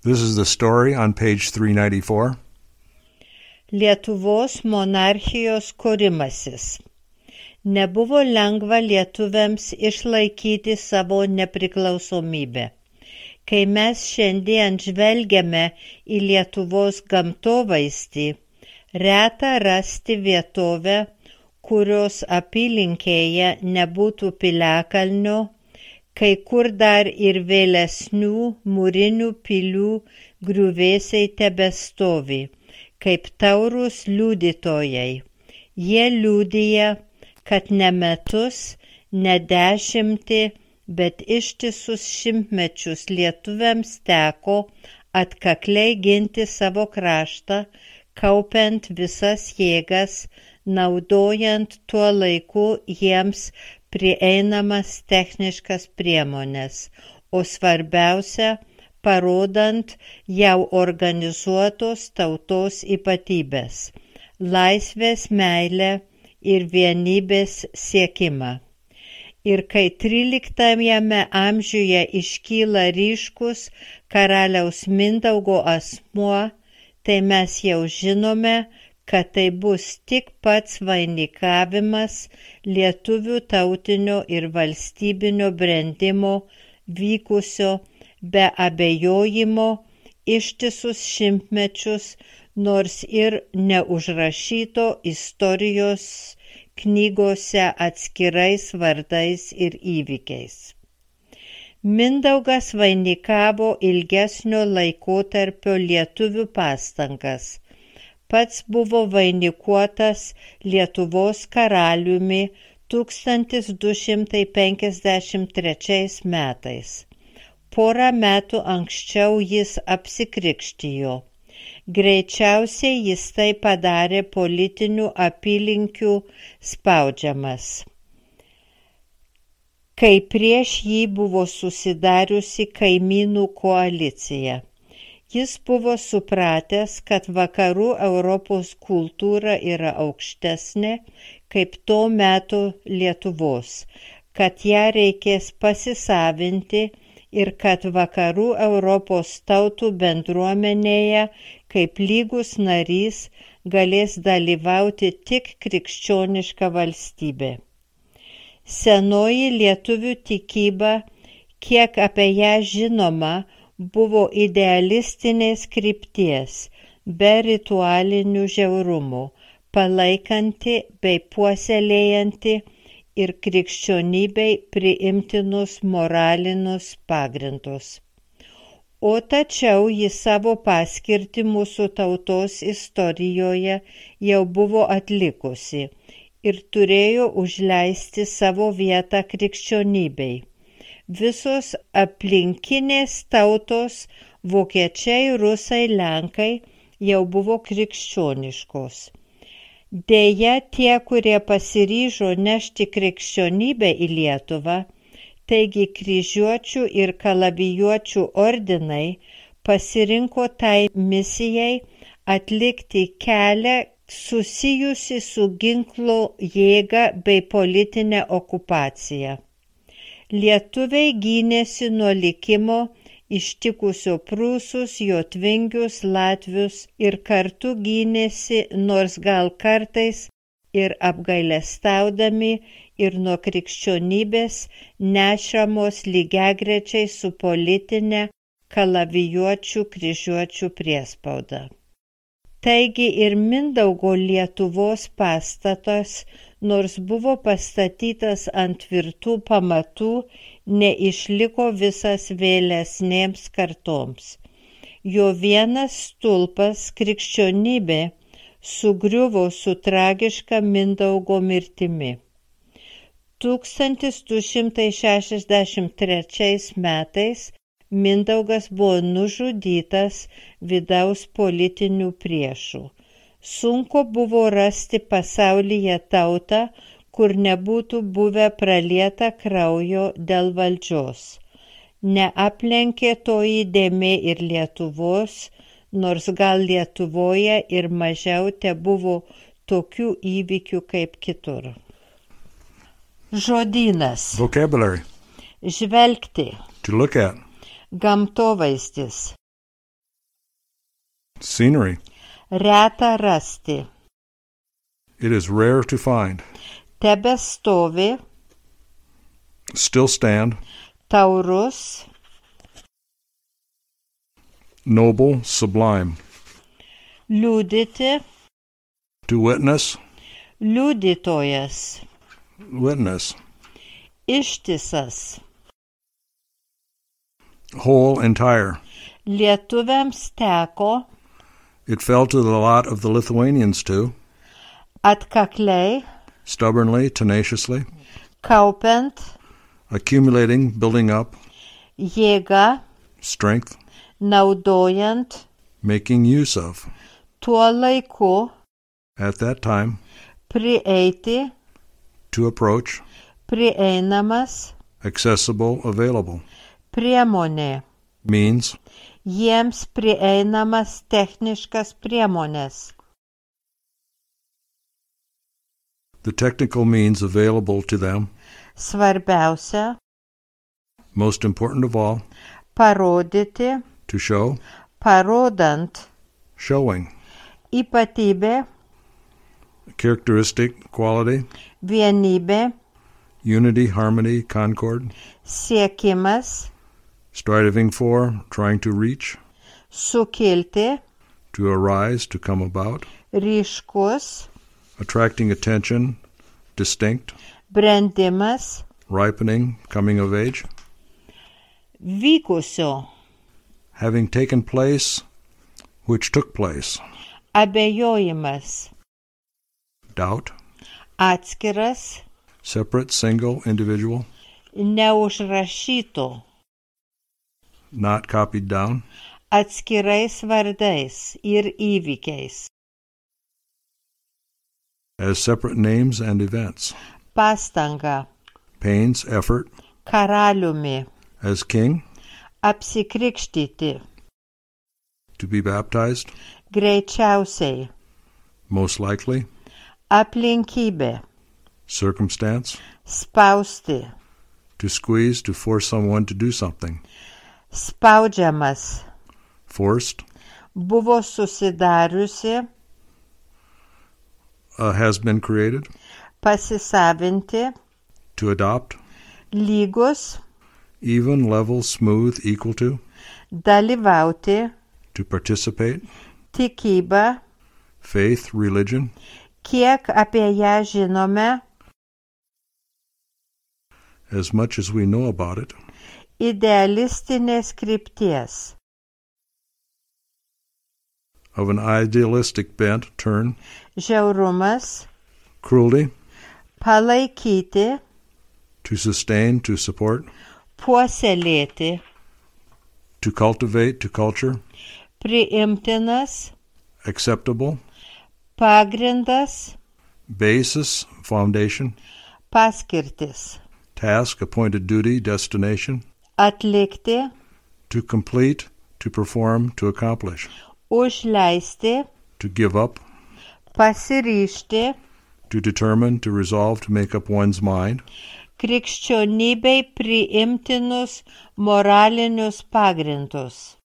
This is the story on page 394. Lietuvos monarchijos kūrimasis. Nebuvo lengva lietuviams išlaikyti savo nepriklausomybę. Kai mes šiandien žvelgiame į Lietuvos gamtovaizdį, reta rasti vietovę, kurios apylinkėje nebūtų piliakalnio, kai kur dar ir vėlesnių mūrinių pilių griuvėsiai tebestovi, kaip taurūs liudytojai. Jie liudija, kad ne metus, ne dešimtį, bet ištisus šimtmečius lietuviams teko atkakliai ginti savo kraštą, kaupiant visas jėgas, naudojant tuo laiku jiems prieinamas techniškas priemones, o svarbiausia, parodant jau organizuotos tautos ypatybės, laisvės meilę ir vienybės siekimą. Ir kai 13 amžiuje iškyla ryškus karaliaus Mindaugo asmuo, tai mes jau žinome, kad tai bus tik pats vainikavimas lietuvių tautinio ir valstybinio brendimo vykusio be abejojimo ištisus šimtmečius, nors ir neužrašyto istorijos knygose atskirais vardais ir įvykiais. Mindaugas vainikavo ilgesnio laikotarpio lietuvių pastangas. Pats buvo vainikuotas Lietuvos karaliumi 1253 metais. Porą metų anksčiau jis apsikrikštijo. Greičiausiai jis tai padarė politinių apylinkių spaudžiamas, kai prieš jį buvo susidariusi kaimynų koalicija. Jis buvo supratęs, kad vakarų Europos kultūra yra aukštesnė kaip to meto Lietuvos, kad ją reikės pasisavinti ir kad vakarų Europos tautų bendruomenėje kaip lygus narys galės dalyvauti tik krikščioniška valstybė. Senoji lietuvių tikyba, kiek apie ją žinoma, buvo idealistinės krypties, be ritualinių žiaurumų, palaikanti bei puoselėjanti ir krikščionybei priimtinus moralinius pagrindus. O tačiau jis savo paskirtį mūsų tautos istorijoje jau buvo atlikusi ir turėjo užleisti savo vietą krikščionybei. Visos aplinkinės tautos, vokiečiai, rusai, lenkai, jau buvo krikščioniškos. Deja, tie, kurie pasiryžo nešti krikščionybę į Lietuvą, taigi kryžiuočių ir kalavijuočių ordinai, pasirinko tai misijai atlikti kelią susijusi su ginklo jėga bei politinė okupacija. Lietuviai gynėsi nuo likimo ištikusio prūsus, jotvingius, latvius ir kartu gynėsi, nors gal kartais ir apgailestaudami ir nuo krikščionybės nešamos lygiagrečiai su politinė kalavijuočių kryžiuočių priespauda. Taigi ir Mindaugo Lietuvos pastatas, nors buvo pastatytas ant tvirtų pamatų, neišliko visas vėlesnėms kartoms. Jo vienas stulpas, krikščionybė, sugriuvo su tragiška Mindaugo mirtimi. 1263 metais Mindaugas buvo nužudytas vidaus politinių priešų. Sunku buvo rasti pasaulyje tautą, kur nebūtų buvę pralieta kraujo dėl valdžios. Neaplenkė toji dėmė ir Lietuvos, nors gal Lietuvoje ir mažiau tebuvo tokių įvykių kaip kitur. Žodynas. Vocabulary. Žvelgti. To look at. Gamtovaizdis. Scenery. Reta rasti. It is rare to find. Tebestovi. Still stand. Taurus. Noble, sublime. Liudyti. To witness. Liudytojas. Witness. Ištisas. Whole, entire. Lietuviams teko It fell to the lot of the Lithuanians too, atkakliai, stubbornly, tenaciously, kaupiant, accumulating, building up, jėga, strength, naudojant, making use of, tuo laiku, at that time, prieiti, to approach, prieinamas, accessible, available, priemonė. means, Jiems prieinamas techniškas priemonės. the technical means available to them, Svarbiausia most important of all, parodyti, to show, parodant, showing, ypatybė, characteristic, quality, vienybė, unity, harmony, concord, siekimas, striving for, trying to reach, sukilti, to arise, to come about, ryškus, attracting attention, distinct, brendimas, ripening, coming of age, vykusio, having taken place, which took place, abejojimas, doubt, atskiras, separate, single, individual, neužrašyto, not copied down, atskirais vardais ir įvykiais, as separate names and events, pastanga, pains, effort, karaliumi, as king, apsikrikštyti, to be baptized, greičiausiai, most likely, aplinkybė, circumstance, spausti, to squeeze, to force someone to do something, spaudžiamas, forced, buvo susidariusi, has been created, pasisavinti, to adopt, lygus, even, level, smooth, equal to, dalyvauti, to participate, tikyba, faith, religion, kiek apie ją žinome, as much as we know about it, idealistinės krypties, of an idealistic bent, turn, žiaurumas, cruelty, palaikyti, to sustain, to support, puoselėti, to cultivate, to culture, priimtinas, acceptable, pagrindas, basis, foundation, paskirtis, task, appointed duty, destination, atlikti, to complete, to perform, to accomplish, užleisti, to give up, pasiryžti, to determine, to resolve, to make up one's mind, krikščionybei priimtinus moralinius pagrindus.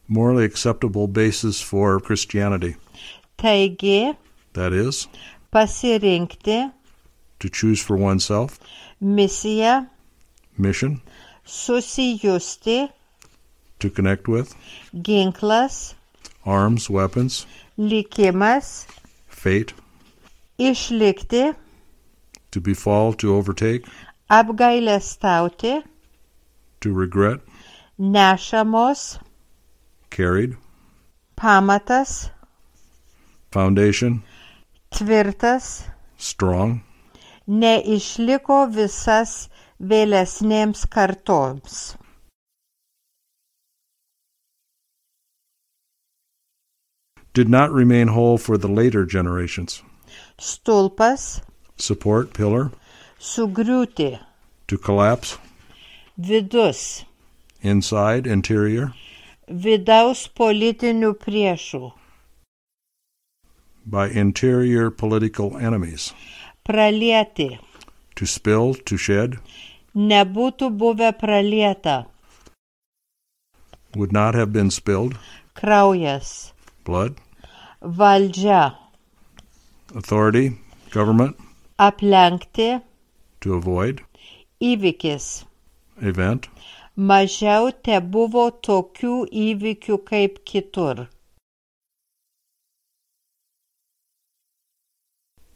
morally acceptable basis for Christianity. Taigi, That is, pasirinkti, to choose for oneself, misiją, mission, susijusti, to connect with, ginklas, arms, weapons, likimas, fate, išlikti, to befall, to overtake, apgailestauti, to regret, nešamos, carried, pamatas, foundation, tvirtas, strong, neišliko visas vėlesnėms kartoms. did not remain whole for the later generations. Stulpas, Support, pillar, sugriūti, to collapse, vidus, inside, interior, vidaus politinių priešų, by interior political enemies, pralieti, to spill, to shed, nebūtų buvę pralieta, would not have been spilled. kraujas, Blood. valdžia, Authority, government. aplenkti, To avoid. įvykis. Event. Mažiau tebuvo tokių įvykių kaip kitur.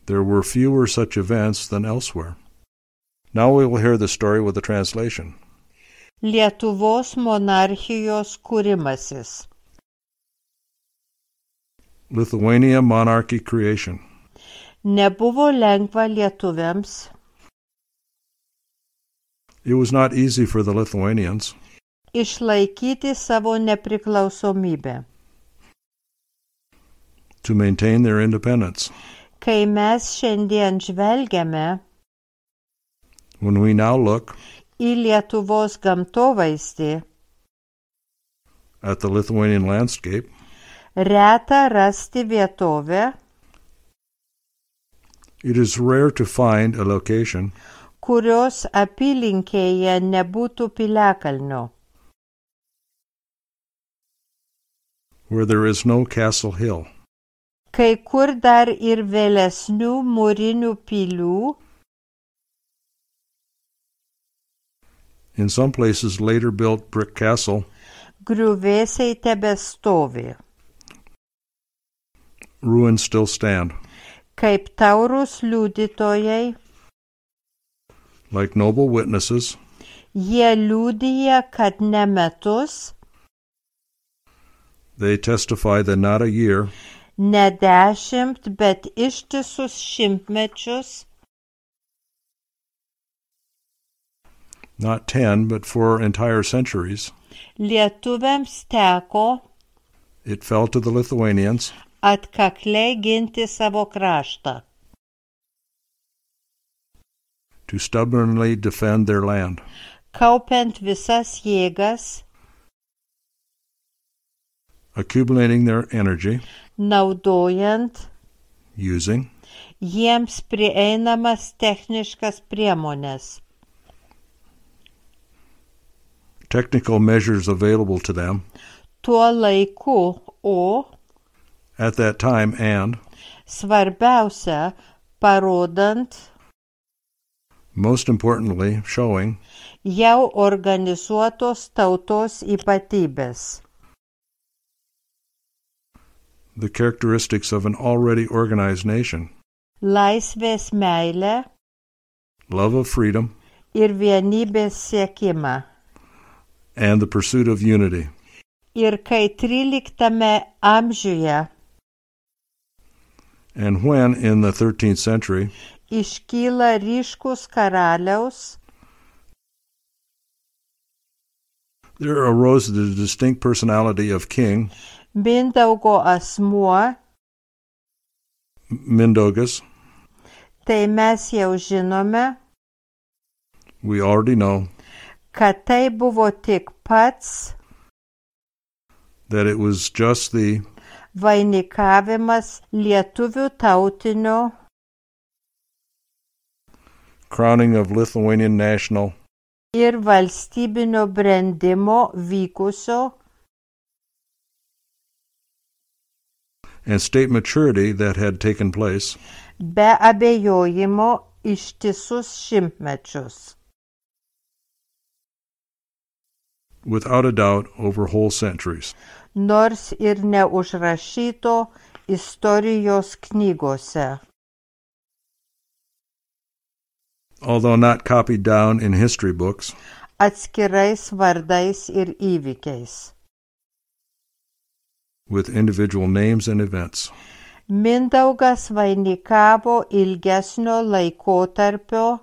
There were fewer such events than elsewhere. Now we will hear the story with the translation. Lietuvos monarchijos kūrimasis. Lithuania monarchy creation. Nebuvo lengva lietuviams It was not easy for the Lithuanians išlaikyti savo nepriklausomybę. to maintain their independence. Kai mes šiandien žvelgiame When we now look į Lietuvos gamtovaizdį, at the Lithuanian landscape, reta rasti vietovę, it is rare to find a location kurios apylinkėje nebūtų piliakalnio, where there is no Castle Hill. kai kur dar ir vėlesnių mūrinių pilių, In some places later built brick castle, griuvėsiai tebestovi, ruins still stand. kaip taurūs liudytojai, Like noble witnesses, jie liudija, kad ne metus, they testify that not a year, ne 10, bet ištisus šimtmečius, not 10, but 4 entire centuries, lietuviams teko it fell to the Lithuanians atkakliai ginti savo kraštą, to stubbornly defend their land, kaupiant visas jėgas, accumulating their energy, naudojant using jiems prieinamas techniškas priemones, technical measures available to them tuo laiku, o at that time, and, svarbiausia, parodant most importantly, showing jau organizuotos tautos ypatybės, the characteristics of an already organized nation, laisvės meilę love of freedom, ir vienybės siekimą. and the pursuit of unity. Ir kai 13 amžiuje And when, in the 13th century, iškyla ryškus karaliaus, there arose the distinct personality of King Mindaugo asmuo, Mindaugas, tai mes jau žinome, we already know kad tai buvo tik pats that it was just the vainikavimas lietuvių tautinio crowning of Lithuanian national ir valstybinio brendimo vykusio and state maturity that had taken place be abejojimo ištisus šimtmečius, without a doubt over whole centuries. nors ir neužrašyto istorijos knygose, Although not copied down in history books, atskirais vardais ir įvykiais. with individual names and events. Mindaugas vainikavo ilgesnio laikotarpio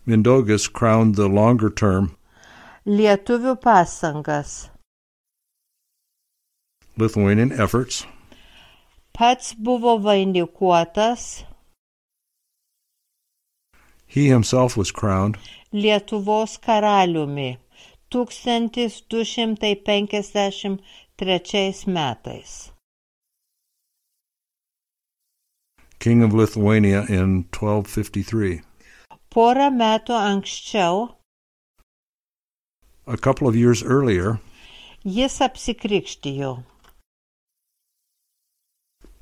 Mindaugas crowned the longer term lietuvių pastangas. Lithuanian efforts. Pats buvo vainikuotas He himself was crowned Lietuvos karaliumi 1253 metais. King of Lithuania in 1253. Porą metų anksčiau A couple of years earlier, Jis apsikrikštijo.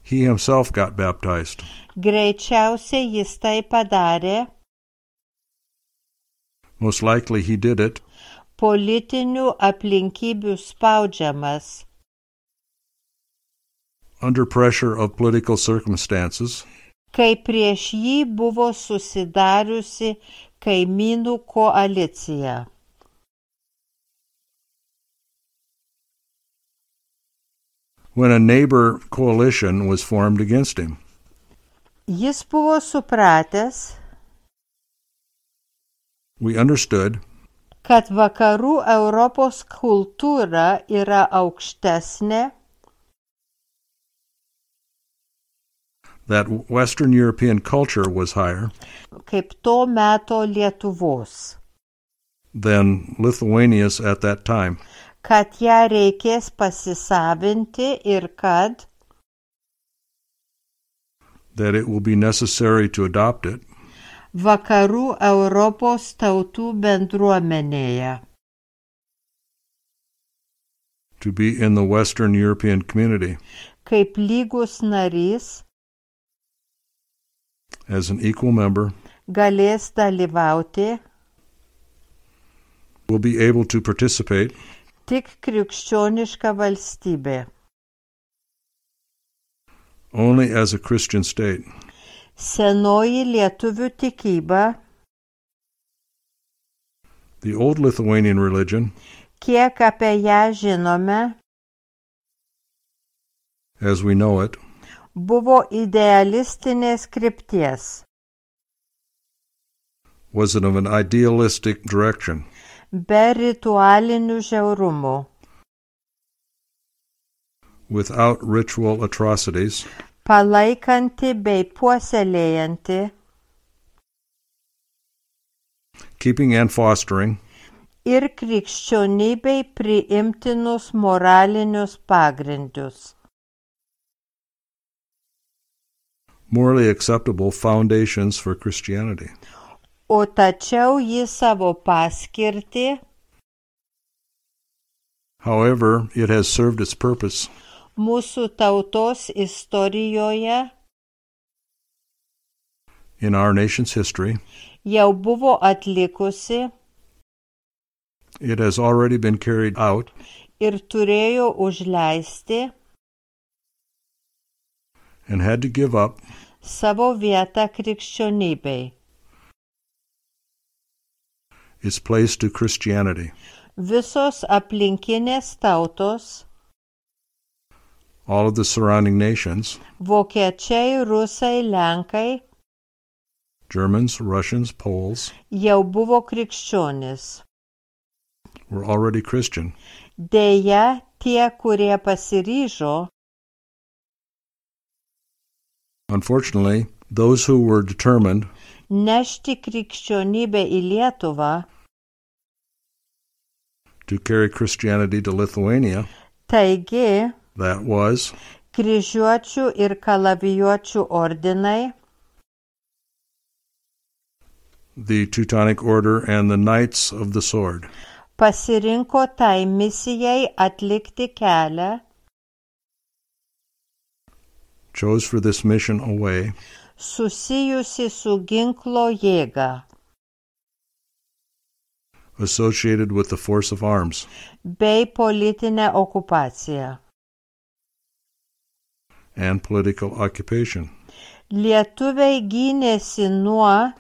he himself got baptized. Greičiausiai jis tai padarė Most likely he did it politinių aplinkybių spaudžiamas, under pressure of political circumstances, kai prieš jį buvo susidariusi kaimynų koalicija. when a neighbor coalition was formed against him. Jis buvo supratęs, We understood kad vakarų Europos kultūra yra aukštesnė, that Western European culture was higher kaip to meto Lietuvos, than Lithuania's at that time, kad ją reikės pasisavinti ir kad that it will be necessary to adopt it, vakarų Europos tautų bendruomenėje, to be in the Western European community kaip lygus narys, as an equal member, galės dalyvauti will be able to participate tik krikščioniška valstybė. only as a Christian state. Senoji lietuvių tikyba, The old Lithuanian religion, kiek apie ją žinome, as we know it, buvo idealistinės krypties, was of an idealistic direction, be ritualinių žiaurumų, without ritual atrocities, palaikanti bei puoselėjanti keeping and fostering ir krikščionybei priimtinus moralinius pagrindus, morally acceptable foundations for Christianity. o tačiau ji savo paskirtį However, it has served its purpose mūsų tautos istorijoje in our nation's history. jau buvo atlikusi It has already been carried out ir turėjo užleisti and had to give up savo vietą krikščionybei. its place to Christianity. Visos aplinkinės tautos, All of the surrounding nations, vokiečiai, rusai, lenkai, Germans, Russians, Poles, jau buvo krikščionys. were already Christian. Deja, tie, kurie pasiryžo, Unfortunately, those who were determined nešti krikščionybę į Lietuvą, to carry Christianity to Lithuania, taigi that was kryžiuočių ir kalavijuočių ordinai, the Teutonic Order and the Knights of the Sword, pasirinko tai misijai atlikti kelią, chose for this mission a way susijusi su ginklo jėga associated with the force of arms bei politinę okupaciją. and political occupation. Lietuviai gynėsi nuo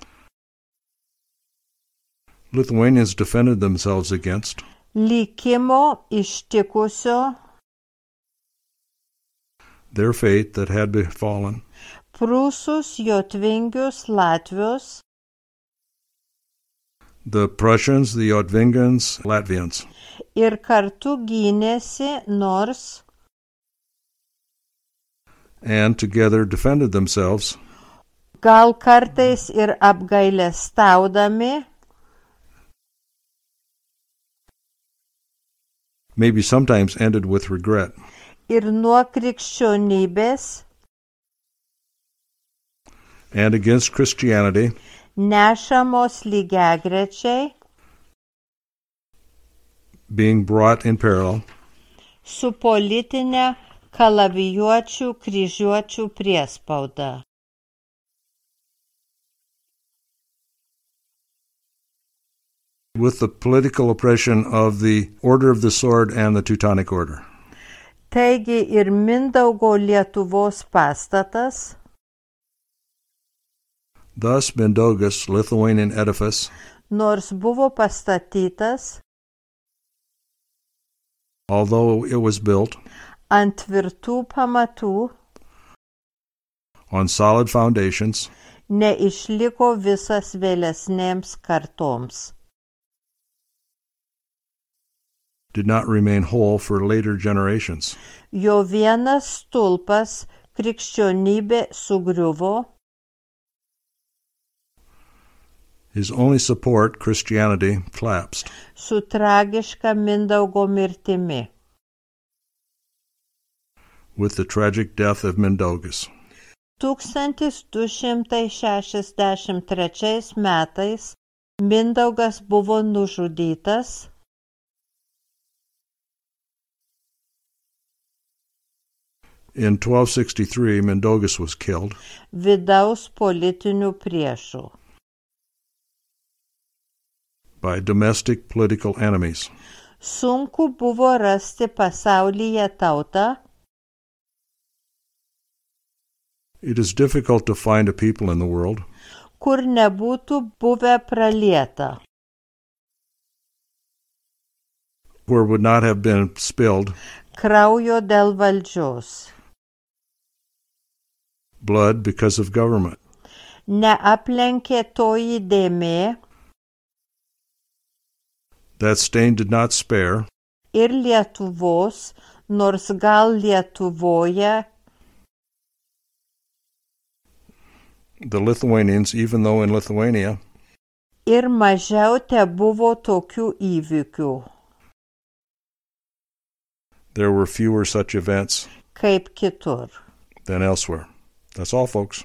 Lithuanians defended themselves against likimo ištikusio their fate that had befallen prūsus, jotvingius, latvius, the Prussians, the Jotvingians, Latvians, ir kartu gynėsi, nors and together defended themselves, gal kartais ir apgailestaudami, maybe sometimes ended with regret, ir nuo krikščionybės and against Christianity, nešamos lygiagrečiai being brought in parallel su politinė kalavijuočių kryžiuočių priespauda. with the political oppression of the Order of the Sword and the Teutonic Order. Taigi ir Mindaugo Lietuvos pastatas, Thus Mindaugas, Lithuanian edifice, nors buvo pastatytas although it was built ant tvirtų pamatų, on solid foundations, neišliko visas vėlesnėms kartoms. did not remain whole for later generations. Jo vienas stulpas, krikščionybė, sugriuvo, His only support, Christianity, collapsed. su tragiška Mindaugo mirtimi. With the tragic death of Mindaugas. 1263 metais Mindaugas buvo nužudytas In 1263, Mindaugas was killed vidaus politinių priešų. by domestic political enemies. Sunku buvo rasti pasaulyje tautą, It is difficult to find a people in the world kur nebūtų buvę pralieta, where would not have been spilled kraujo dėl valdžios. blood because of government. Neaplenkė toji dėmė That stain did not spare ir Lietuvos, nors gal Lietuvoje the Lithuanians, even though in Lithuania ir mažiau tebuvo tokių įvykių, there were fewer such events kaip kitur. than elsewhere. That's all, folks.